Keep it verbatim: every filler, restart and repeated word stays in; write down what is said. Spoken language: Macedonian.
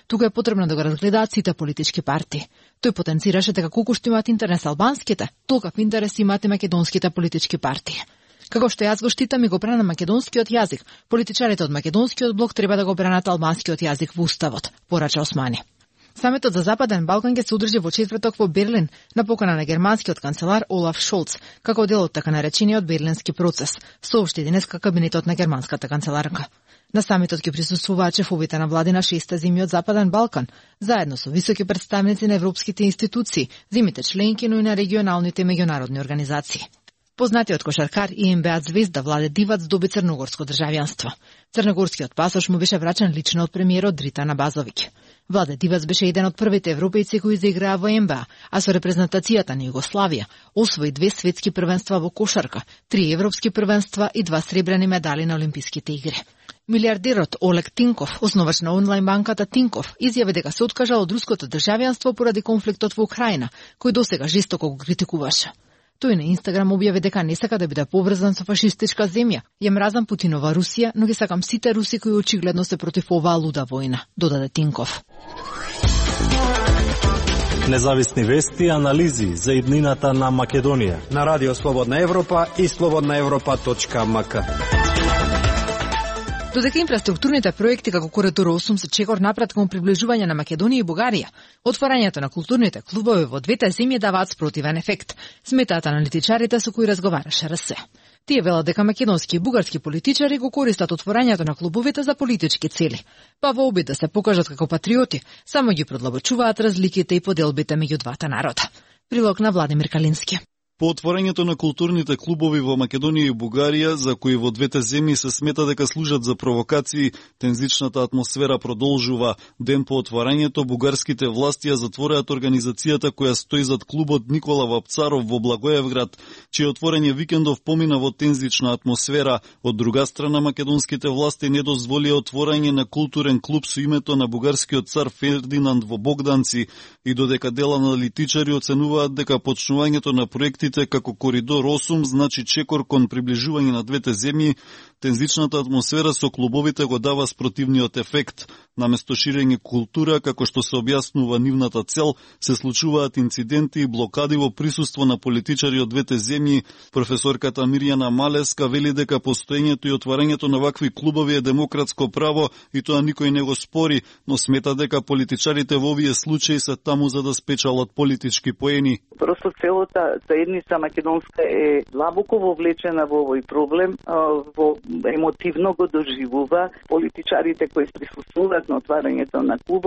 тука е потребно да го разгледаат сите политички партии. Тој потенцираше дека колку што имаат интерес албанските, толков интерес имаат и македонските политички партии. Како што јас го штитам и го брана македонскиот јазик, политичарите од македонскиот блок треба да го бранат албанскиот јазик во уставот, порача Османи. Самитот за Западен Балкан ќе се одржи во четврток во Берлин на покана на германскиот канцелар Олаф Шолц, како дел од така наречениот Берлински процес, соопшти денеска кабинетот на германската канцеларка. На самитот ќе присуствуваат шефовите на влади на шеста земји од Западен Балкан, заедно со високи представници на европските институции, земјите членки, но и на регионалните и меѓународни организации. Познатиот кошаркар и ен би а звезда Владе Дивац доби црногорско државјанство. Црногорскиот пасош му беше врачен лично од премиерот Дритана Базовиќ. Владе Дивац беше еден од првите европејци кои заиграа во ен би а, а со репрезентацијата на Југославија освои две светски првенства во кошарка, три европски првенства и два сребрени медали на Олимписките игри. Милиардерот Олег Тинков, основач на онлайн банката Тинков, изјави дека се откажал од руското државјанство поради конфликтот во Украина, кој досега жестоко го критикуваше. Тој на Инстаграм објави дека не сака да биде поврзан со фашистичка земја. Ја мразам Путинова Русија, но ги сакам сите руси кои очигледно се против оваа луда војна, додаде Тинков. Независни вести и анализи за иднината на Македонија на Радио Слободна Европа и слободна европа точка ем ка. Додека инфраструктурните проекти како Коридор осум се чекор напред кон приближување на Македонија и Бугарија, отварањето на културните клубови во двете земји даваат спротивен ефект, сметаат аналитичарите со кои разговараше ар ес. Тие велат дека македонски и бугарски политичари го користат отворањето на клубовите за политички цели, па во обид да се покажат како патриоти, само ги продлабочуваат разликите и поделбите меѓу двата народа. Прилог на Владимир Калински. По отворањето на културните клубови во Македонија и Бугарија, за кои во двете земји се смета дека служат за провокации, тензичната атмосфера продолжува. Ден по отворањето, бугарските власти ја затвореат организацијата која стои зад клубот Никола Вапцаров во Благоевград, чие отворање викендов помина во тензична атмосфера. Од друга страна, македонските власти не дозволија отворање на културен клуб со името на бугарскиот цар Фердинанд во Богданци, и додека дел аналитичари оценуваат дека почнувањето на проекти како Коридор осум значи чекор кон приближување на двете земји, тензичната атмосфера со клубовите го дава спротивниот ефект. Наместо ширење култура, како што се објаснува нивната цел, се случуваат инциденти и блокади во присуство на политичари од двете земји. Професорката Мирјана Малеска вели дека постоењето и отварањето на вакви клубови е демократско право и тоа никој не го спори, но смета дека политичарите во овие случаи се таму за да спечалат политички поени. Просто целата заедница македонска е длабоко вовлечена во овој проблем, во емотивно го доживува политичарите кои присуствуваат на отварањето на клуб.